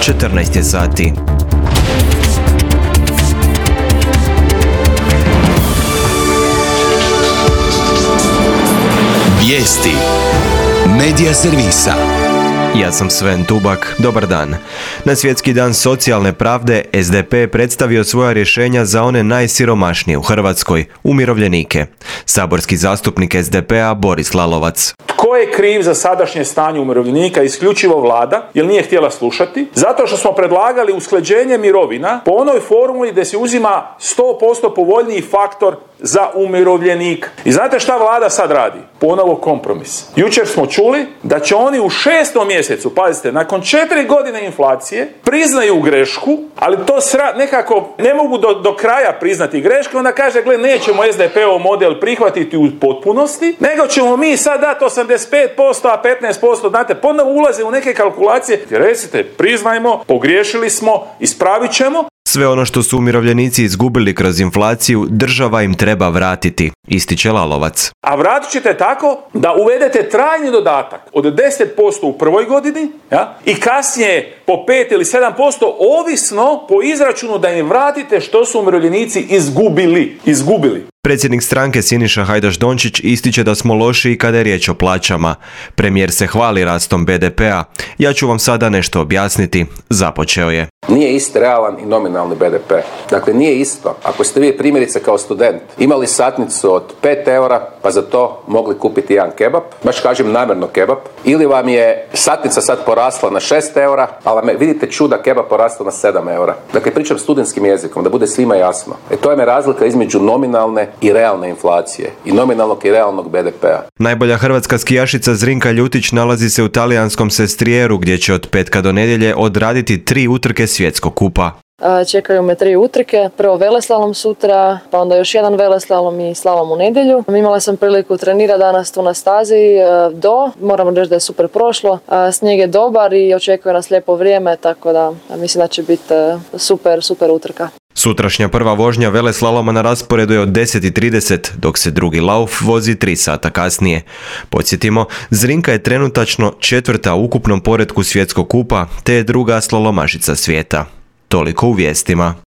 14 je sati. Vijesti Medija servisa. Ja sam Sven Tubak, dobar dan. Na Svjetski dan socijalne pravde SDP je predstavio svoja rješenja za one najsiromašnije u Hrvatskoj, umirovljenike. Saborski zastupnik SDP-a Boris Lalovac. Tko je kriv za sadašnje stanje umirovljenika? Isključivo Vlada, jer nije htjela slušati. Zato što smo predlagali usklađenje mirovina po onoj formuli da se uzima 100% povoljniji faktor za umirovljenika. I znate šta Vlada sad radi? Ponovo kompromis. Jučer smo čuli da će oni u 6. mjesecu, pazite, nakon 4 godine inflacije, priznaju grešku, ali to nekako ne mogu do kraja priznati grešku, onda kaže, gle, nećemo SDP-ov model prihvatiti u potpunosti, nego ćemo mi sad dati 85%, a 15%, znate, ponovo ulaze u neke kalkulacije. Recite, priznajmo, pogriješili smo, ispravit ćemo. Sve ono što su umirovljenici izgubili kroz inflaciju, država im treba vratiti, ističe Lalovac. A vratit ćete tako da uvedete trajni dodatak od 10% u prvoj godini, ja, i kasnije po 5 ili 7%, ovisno po izračunu da im vratite što su umirovljenici izgubili. Predsjednik stranke Siniša Hajdaš Dončić ističe da smo lošiji kada je riječ o plaćama. Premijer se hvali rastom BDP-a. Ja ću vam sada nešto objasniti. Započeo je. Nije isti realan i nominalni BDP. Dakle, nije isto. Ako ste vi primjerice kao student imali satnicu od 5 eura, pa za to mogli kupiti jedan kebab, baš kažem namjerno kebab, ili vam je satnica sad porasla na 6 eura, ali vidite čuda, kebab porasla na 7 eura. Dakle, pričam studentskim jezikom, da bude svima jasno. To je razlika između nominalne i realne inflacije. I nominalnog i realnog BDP-a. Najbolja hrvatska skijašica Zrinka Ljutić nalazi se u talijanskom Sestrijeru, gdje će od petka do nedjelje odraditi 3 utrke svjetskog kupa. Čekaju me 3 utrke, prvo veleslalom sutra, pa onda još jedan veleslalom i slalom u nedjelju. Imala sam priliku trenirati danas tu na stazi moram reći da je super prošlo. Snijeg je dobar i očekuje nas lijepo vrijeme, tako da mislim da će biti super utrka. Sutrašnja prva vožnja veleslaloma na rasporedu je od 10:30, dok se drugi lauf vozi 3 sata kasnije. Podsjetimo, Zrinka je trenutačno 4. u ukupnom poretku svjetskog kupa, te je druga slalomašica svijeta. Toliko u vijestima.